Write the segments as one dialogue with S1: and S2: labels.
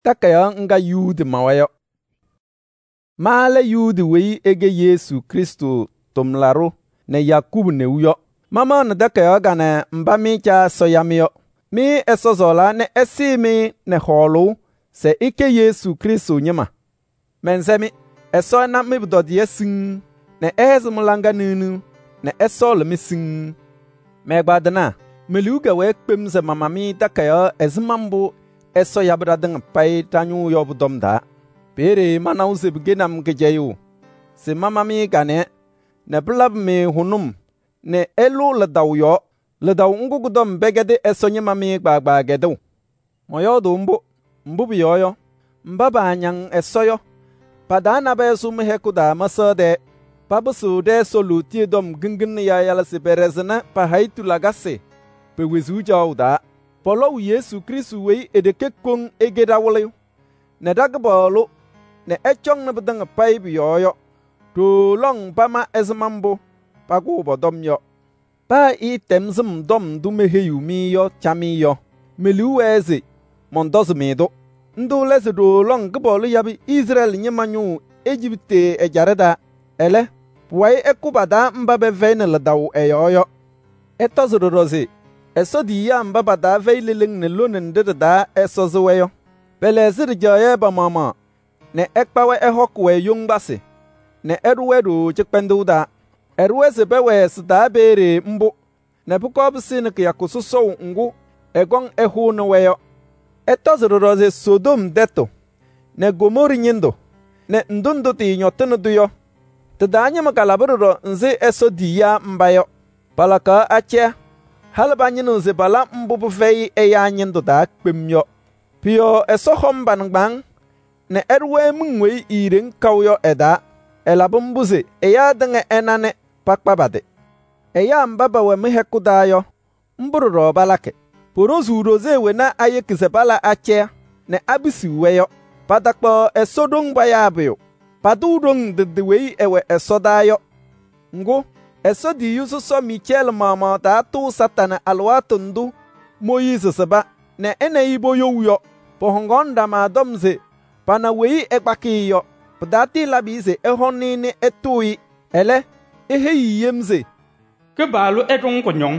S1: Takayaɣ ŋga Yuudi mawa yɔ. Ma lɛ Yuudi weyi ɛkɛ Yesu Krɩstʋ tʋmlaɖʋ nɛ Yakubu neu yɔ. Mamaɣnɩ takayaɣ kanɛ mba mɩ Caa Ɛsɔ ya-mɩ yɔ. Mɩ Ɛsɔ sɔɔlaa nɛ ɛsɩɩ-mɩ nɛ hɔɔlʋʋ se ɩkɛ Yesu Krɩstʋ ñɩma. Mɛnsɛ-mɩ, Ɛsɔ ɛna mɩ-pʋtɔdɩyɛ siŋŋ nɛ ɛhɛzɩ mɩ-laŋa nɩɣnɩɣ nɛ ɛsɔɔlɩ-mɩ siŋŋ. Mɛ-ɛgbaadɩnaa, me-liu kɛwɛɛ kpem se mama-mɩ takayaɣ ɛzɩma mbʋ Ɛsɔ yabɩ ɖatɩŋa payɩ ɖa-ñʋʋ yɔ pʋ-tɔm taa. Peeye manawa se pɩkɛnɩ-m kɩcɛyʋʋ se mama-mɩ kanɛ nɛ pɩlabɩ-mɩ hʋnʋm nɛ ɩlʋ lidaʋ yɔɔ. Lidaʋ ŋgʋ kʋ-tɔm pɛkɛdɩ Ɛsɔ ñɩma mɩ kpaagbaa kɛdʋʋ. Mɔyɔɔdʋʋ mbʋ, mbʋ pʋyɔɔ yɔ, mba paañaŋ Ɛsɔ yɔ, pa-taa nabɛyɛ sʋ mɩ-hɛkʋ taa mɛsaɣ tɛɛ. Papɩsɩɣ ɖɛ-Ɛsɔ lootiye tɔm kɩŋɩŋnɩ yalɩyalɩ se pɛɖɛzɩnɩ pa-hayitu lakasɩ pe-wezuu caɣʋ taa. Pɔlɔʋ Yesu Krɩstʋ weyi e-ɖeke koŋ ɛkɛ ɖa-Wɩlɩyʋ nɛ ɖa-Kɩpaɣlʋ nɛ ɛcɔŋnɩ pɩtɩŋa payɩ pʋ-yɔɔ yɔ. Ɖooo lɔŋ pama ɛzɩma mbʋ pakʋʋ pɔ-tɔm yɔ. Paa ɩɩtɛm sɩm tɔm ndʋ meheyiɣ-mɩ yɔ camɩyɛ yɔ, me-liu wɛɛ se mɔntɔzɩ-mɩ-tʋ. Ndʋ lɛ se ɖooo lɔŋ Kɩpaɣlʋ yabɩ Izrɛɛlɩ ñɩma ñʋʋ Ejiptɩ ɛjaɖɛ taa. Ɛlɛ, pʋwayɩ ɛkʋ pa-taa mba pɛfɛyɩnɩ lidaʋ ɛ-yɔɔ yɔ. Ɛtɔzɩ ɖɔɖɔ se Ɛsɔ tiyiyaa mba pa-taa fɛyɩ leleŋ nɛ lone nɖɩ ɖɩ-taa ɛsɔzɩ-wɛ yɔ. Pɛlɛɣzɩ ɖɩjaɣyɛ pa-maɣmaɣ nɛ ɛkpa-wɛ ɛhɔkɩ-wɛ yoŋgbasɩ nɛ ɛɖʋ-wɛ ɖooo cɩkpɛndʋʋ taa. Ɛɖʋ-wɛ se pɛwɛɛ sɩ-taa peeye mbʋ nɛ pʋkɔɔ pɩsɩnɩ kɩyakʋ sɔsɔʋ ŋgʋ ɛkɔŋ ɛhʋʋnɩ-wɛ yɔ. Ɛtɔzɩ ɖɔɖɔ se Sodom tɛtʋ nɛ Gomɔɔrɩ ñɩndʋ nɛ ndʋ ndʋ tɩɩñɔtɩnɩ-tʋ yɔ, tɩ-taa ñɩma kalabɩ ɖɔɖɔ nzɩ Ɛsɔ tiyiyaa mba yɔ. Palakaɣ acɛyɛ, halɩ pañɩnɩɣ se pala mbʋ pɩfɛyɩ ɛyaa ñɩndʋ taa kpem yɔ. Pʋ-yɔɔ Ɛsɔ hɔm pa-nɩŋgbaaŋ nɛ ɛɖʋ-wɛ miŋ weyi iiɖeŋ kaʋ yɔ ɛ-taa. Ɛlabɩ mbʋ se ɛyaa tɩŋa ɛna nɛ pakpa pa-tɩ. Ɛyaa mba pɛwɛ mɩ-hɛkʋ taa yɔ, mbʋ ɖɔɖɔ palakɩ. Poɖoziɣ ɖoze wena ayeki se pala acɛyɛ nɛ apisiɣ-wɛ yɔ. Patakpaɣ Ɛsɔ ɖoŋ payaa pʋyʋ. Patʋʋ ɖoŋ ndɩ weyi ɛwɛ ɛsɔdaa yɔ. Ŋgʋ, Ɛsɔ tiyiyu sɔsɔ Micɛɛlɩ maɣmaɣ taatʋʋ Satanɩ alɩwaatʋ ndʋ Mooyiizi sɩba nɛ ɛ nɛ ɩ poyouu yɔ. Pɔhɔŋaɣnɩ ɖama tɔm se pana weyi ɛkpakɩ-ɩ yɔ. Pɩtaatɩ labɩ-ɩ se ɛhɔnɩ nɛ ɛtʋʋ-ɩ. Ɛlɛ, eheyi-i yem se: “Kɩpaɣlʋ ɛɖʋ-ŋ kʋñɔŋ.”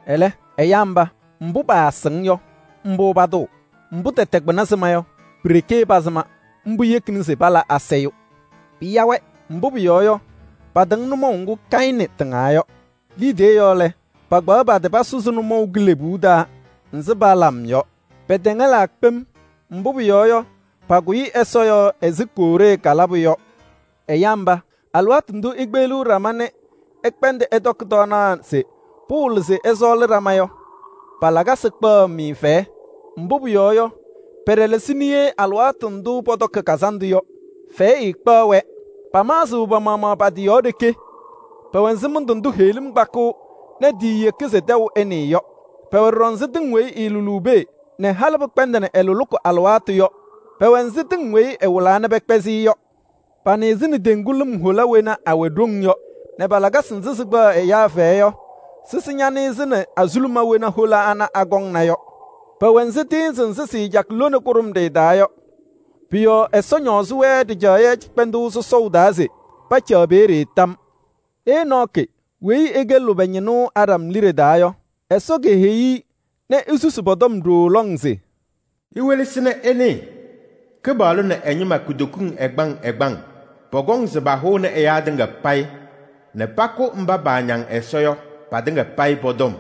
S1: Ɛlɛ, ɛyaa mba, mbʋ paasɩŋ yɔ, mbʋ patʋʋ. Mbʋ tɛtɛ kpɩna sɩma yɔ, pi-ɖeke pasɩma. Mbʋ yekini se pala asayʋ. Pɩya-wɛ, mbʋ pʋyɔɔ yɔ, patɩŋ nʋmɔʋ ŋgʋ Kayɩnɩ tɩŋaa yɔ. Liidiye yɔɔ lɛ, pakpaɣ pa-tɩ pasʋzɩ nʋmɔʋ kilebuu taa nzɩ Balam yɔ. Pɛtɛŋɛlaa kpem, mbʋ pʋyɔɔ yɔ, pakʋyɩ Ɛsɔ yɔɔ ɛzɩ Kooree kalabʋ yɔ. Ɛyaa mba, alɩwaatʋ ndʋ ikpeɣliɣ ɖama nɛ ɩkpɛndɩ ɩtɔkɩ tɔɔnaɣ se pʋwɩlɩ se ɩsɔɔlɩ ɖama yɔ, pa-lakasɩ kpaɣ-mɩ fɛyɛ. Mbʋ pʋyɔɔ yɔ, pɛɖɛlɛsɩnɩ-yɛ alɩwaatʋ ndʋ pɔtɔkɩ kazandʋ yɔ. Fɛyɛ ɛɛkpaɣ-wɛ. Pamaɣzɩɣ pa-maɣmaɣ pa-tɩ yɔɔ ɖeke. Pɛwɛ nzɩ mɩndʋ ndʋ heɣlim kpakɩɣ nɛ tiiyeki se tɛʋ ɛnɩɩ yɔ. Pɛwɛ ɖɔɖɔ nzɩ tɩŋ weyi ɩɩlʋlʋʋ pee nɛ halɩ pɩkpɛndɩnɩ ɛlʋlʋkʋ alɩwaatʋ yɔ. Pɛwɛ nzɩ tɩŋ weyi ɛwɩlaa nɛ pɛkpɛzɩ-ɩ yɔ. Panɩɩzɩnɩ teŋgu lɩm hola wena awɛ ɖoŋ yɔ nɛ pa-lakasɩ nzɩ sɩkpaɣ ɛyaa fɛyɛ yɔ, sɩsɩ ñanɩɩzɩnɩ azuluma wena hola ana akɔŋna yɔ. Pɛwɛ nzɩ tɩɩnzɩ nzɩ sɩɩjakɩ lone kʋɖʋmɖɩyɛ taa yɔ. Pʋ-yɔɔ Ɛsɔ ñɔɔzɩ-wɛ ɖɩjaɣyɛ cɩkpɛndʋʋ sɔsɔʋ taa se pacaɣ peeye tam. Enɔɔkɩ weyi ɛkɛ lʋbɛ ñɩnʋ Adam liɖe taa yɔ, Ɛsɔ keheyi-i nɛ esusi pɔ-tɔm ɖooo lɔŋ se:
S2: “Iwelesini ɩnɩɩ, Kɩpaɣlʋ nɛ ɛ-ñɩma kutokiŋ ɛgbaŋ ɛgbaŋ pɔkɔŋ se pahʋʋnɩ ɛyaa tɩŋa payɩ nɛ pakʋ mba paañaŋ Ɛsɔ yɔ patɩŋa payɩ pɔ-tɔm.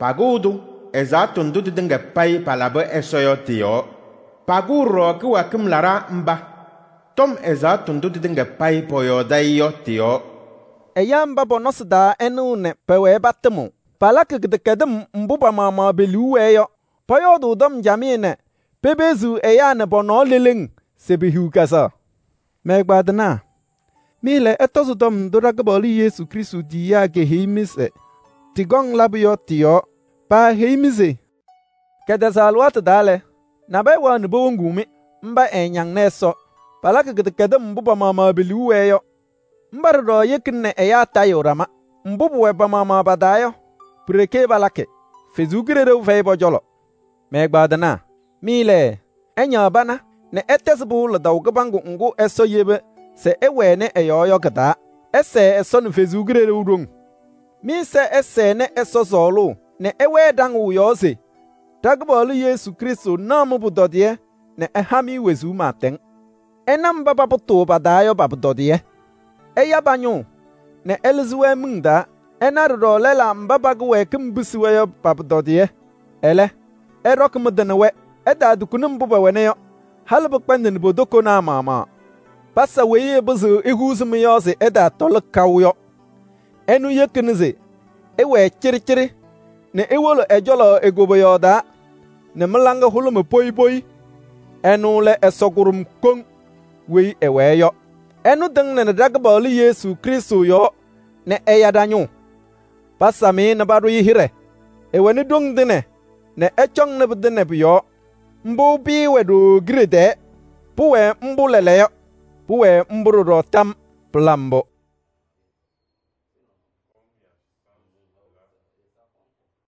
S2: Pakʋʋ-tʋ ɛzaɣtʋ ndʋ tɩtɩŋa payɩ palabɩ Ɛsɔ yɔ tɩ-yɔɔ. Pakʋʋ ɖɔɖɔ kɩwɛɛkɩm laɖaa mba tɔm ɛzaɣtʋ ndʋ tɩtɩŋa payɩ pɔyɔɔdɩ-ɩ yɔ tɩ-yɔɔ.”
S1: Ɛyaa mba pɔ-nɔsɩ taa ɛnɩɣ nɛ pɛwɛɛ patɩmʋʋ. Palakɩ kɩdɛkɛdɩm mbʋ pa-maɣmaɣ pe-liu wɛɛ yɔ. Pɔyɔɔdʋʋ tɔm camɩyɛ nɛ pepeziɣ ɛyaa nɛ pɔ-nɔɔ leleŋ se pehiɣ kazaɣ. Mɛ-ɛgbaadɩnaa, mɩ lɛ ɩtɔzɩ tɔm ndʋ ɖa-Kɩpaɣlʋ Yesu Krɩstʋ tiyiyaa keheyi-mɩ se tɩkɔŋ labʋ yɔ tɩ-yɔɔ. Paaheyi-mɩ se: “Kɛtɛzɛ alɩwaatʋ taa lɛ, nabɛyɛ wɛɣnɩ powoŋuu-mɩ, mba ɛɛñaŋnɩ Ɛsɔ. Palakɩ kɩdɛkɛdɩm mbʋ pa-maɣmaɣ pe-liu wɛɛ yɔ. Mba ɖɔɖɔ yekini nɛ ɛyaa tayɩɣ ɖama. Mbʋ pʋwɛ pa-maɣmaɣ pa-taa yɔ, pi-ɖeke palakɩ. Ɛsɔ Kalɩzaɣ fɛyɩ pɔ-cɔlɔ.” Mɛ-ɛgbaadɩnaa, mɩ lɛ, Ɛñaɣ pana nɛ ɛtɛzɩ pɩʋ lidaʋ kɩbaŋgʋ ŋgʋ Ɛsɔ yeba se ɛwɛnɩ ɛ-yɔɔ yɔ kɩ-taa. Ɛsɛɛ Ɛsɔ nɛ Ɛsɔ Kalɩzaɣ ɖoŋ. Mɩ-ɛza ɛsɛɛ Ɛsɔ sɔɔlʋʋ nɛ ɛwɛɛ ɖaŋʋʋ yɔɔ se ɖa-Kɩpaɣlʋ Yesu Krɩstʋ naɣ mɩ-pʋtɔdɩyɛ nɛ ɛha-mɩ wezuu pɩɩtɛŋ. Ɛna mba papʋtʋʋ pa-taa yɔ pa-pʋtɔdɩyɛ. Ɛya pa-ñʋʋ nɛ ɛlɩzɩ-wɛ miŋ taa. Ɛna ɖɔɖɔ lɛlaa mba pa-kɩwɛɛkɩm pɩsɩ-wɛ yɔ pa-pʋtɔdɩyɛ. Ɛlɛ, ɛɖɔkɩ mɩ-tɩ nɛ wɛ, ɛtaatukuni mbʋ pɛwɛna yɔ, halɩ pɩkpɛndɩnɩ po-tokonaa maɣmaɣ. Pasa weyi ɛpɩzɩɣ ehuuzi mɩ-yɔɔ se ɛtaatɔlɩ kaʋ yɔ. Ɛnʋ yekini se ɩwɛɛ cɩɖɩcɩɖɩ nɛ iwolo ɛ-cɔlɔ e-koboyaɣ taa nɛ mɩ-laŋa hʋlʋmɩ poyi poyi. Ɛnʋ lɛ Ɛsɔ kʋɖʋm koŋ weyi ɛwɛɛ yɔ. Ɛnʋ tɩŋnɩnɩ ɖa-Kɩpaɣlʋ Yesu Krɩstʋ yɔɔ nɛ ɛya ɖa-ñʋʋ. Pasam-ɩ nɛ paɖʋ-ɩ hɩɖɛ. Ɛwɛnɩ ɖoŋ tɩnɛ nɛ ɛcɔŋnɩ pɩtɩnɛ pʋ-yɔɔ. Mbʋ pɩɩwɛ ɖooo kiɖe tɛɛ. Pʋwɛɛ mbʋ lɛɛlɛɛyɔ. Pʋwɛɛ mbʋ ɖɔɖɔ tam. Pɩla mbʋ.